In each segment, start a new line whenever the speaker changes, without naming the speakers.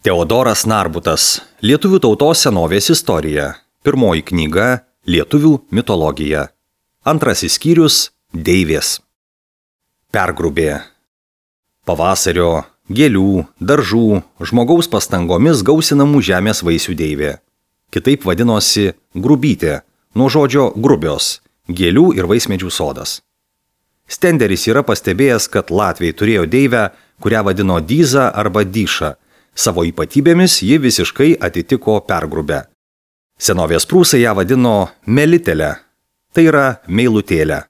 Teodoras Narbutas. Lietuvių tautos senovės istorija. Pirmoji knyga – Lietuvių mitologija. Antrasis skyrius – Deivės. Pergrubė. Pavasario, gėlių, daržų, žmogaus pastangomis gausinamų žemės vaisių deivė. Kitaip vadinosi grubytė, nuo žodžio grubios, gėlių ir vaismedžių sodas. Stenderis yra pastebėjęs, kad latviai turėjo deivę, kurią vadino Dyza arba Dyša. Savo ypatybėmis ji visiškai atitiko pergrubę. Senovės prūsai ją vadino melitelę, tai yra meilutėlę.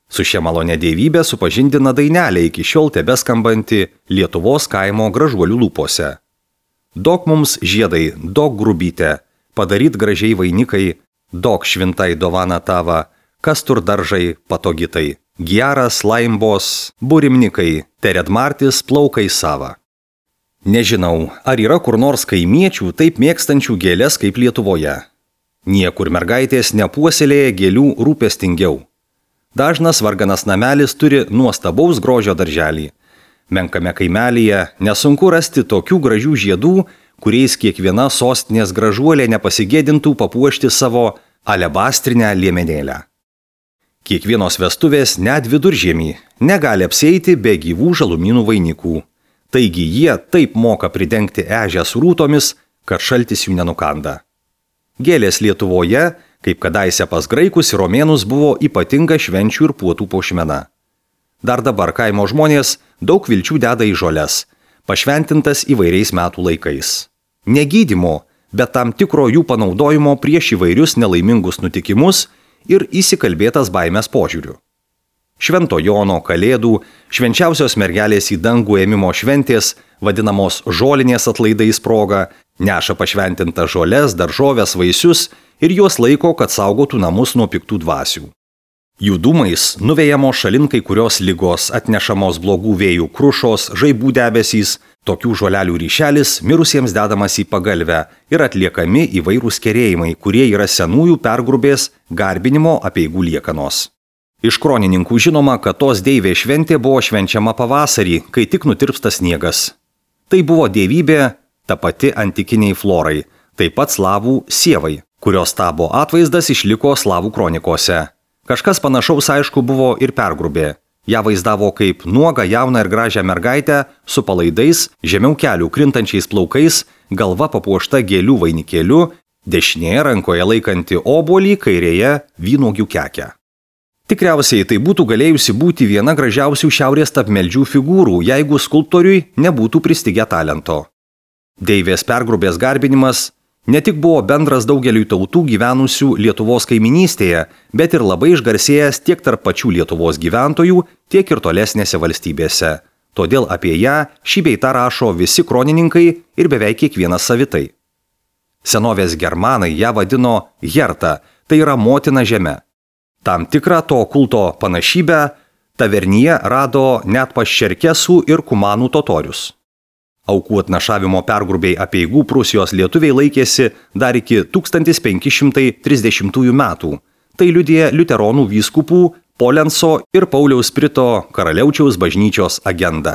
Su šia malonė dievybė supažindina dainelė iki šiol tebeskambanti Lietuvos kaimo gražuolių lūpose. Dok mums žiedai, dok grubytė, padaryt gražiai vainikai, dok švintai dovana tava, kas tur daržai patogitai, geras laimbos, burimnikai, teredmartis plaukai sava. Nežinau, ar yra kur nors kaimiečių taip mėgstančių gėlės kaip Lietuvoje. Niekur mergaitės nepuoselėja gėlių rūpestingiau. Dažnas varganas namelis turi nuostabaus grožio darželį. Menkame kaimelyje nesunku rasti tokių gražių žiedų, kuriais kiekviena sostinės gražuolė nepasigėdintų papuošti savo alebastrinę liemenėlę. Kiekvienos vestuvės net viduržiemį negali apsieiti be gyvų žalumynų vainikų. Taigi jie taip moka pridengti ežią su rūtomis, kad šaltis jų nenukanda. Gėlės Lietuvoje, kaip kadaise pas graikus ir romėnus, buvo ypatinga švenčių ir puotų puošmena. Dar dabar kaimo žmonės daug vilčių deda į žoles, pašventintas įvairiais metų laikais. Ne gydymo, bet tam tikro jų panaudojimo prieš įvairius nelaimingus nutikimus ir įsikalbėtas baimės požiūriu. Švento Jono, Kalėdų, švenčiausios mergelės į dangų ėmimo šventės, vadinamos žolinės atlaidais proga, neša pašventintas žoles, daržoves, vaisius ir juos laiko, kad saugotų namus nuo piktų dvasių. Jų dūmais nuvejamos šalin kai kurios ligos, atnešamos blogų vėjų krušos, žaibų debesys, tokių žolelių ryšelis mirusiems dedamas į pagalvę ir atliekami įvairūs kerėjimai, kurie yra senųjų pergrubės garbinimo apeigų liekanos. Iš kronininkų žinoma, kad tos deivės šventė buvo švenčiama pavasarį, kai tik nutirpsta sniegas. Tai buvo dievybė ta pati antikiniai florai, taip pat slavų sievai, kurios stabo atvaizdas išliko slavų kronikose. Kažkas panašaus aišku buvo ir pergrubė. Ja vaizdavo kaip nuogą jauną ir gražią mergaitę su palaidais, žemiau kelių krintančiais plaukais, galva papuošta gėlių vainikėliu, dešinėje rankoje laikanti obuolį, kairėje vynuogių kekę. Tikriausiai tai būtų galėjusi būti viena gražiausių šiaurės tapmeldžių figūrų, jeigu skulptoriui nebūtų pristigę talento. Deivės pergrubės garbinimas ne tik buvo bendras daugeliui tautų gyvenusių Lietuvos kaiminystėje, bet ir labai išgarsėjęs tiek tarp pačių Lietuvos gyventojų, tiek ir tolesnėse valstybėse. Todėl apie ją šį bei tą rašo visi kronininkai ir beveik kiekvienas savitai. Senovės germanai ją vadino Herta, tai yra motina žeme. Tam tikrą to kulto panašybę tavernyje rado net pas čerkesų ir kumanų totorius. Aukų atnašavimo pergrubiai apeigų Prūsijos lietuviai laikėsi dar iki 1530 metų. Tai liudija liuteronų vyskupų Polenso ir Pauliaus Prito karaliaučiaus bažnyčios agenda.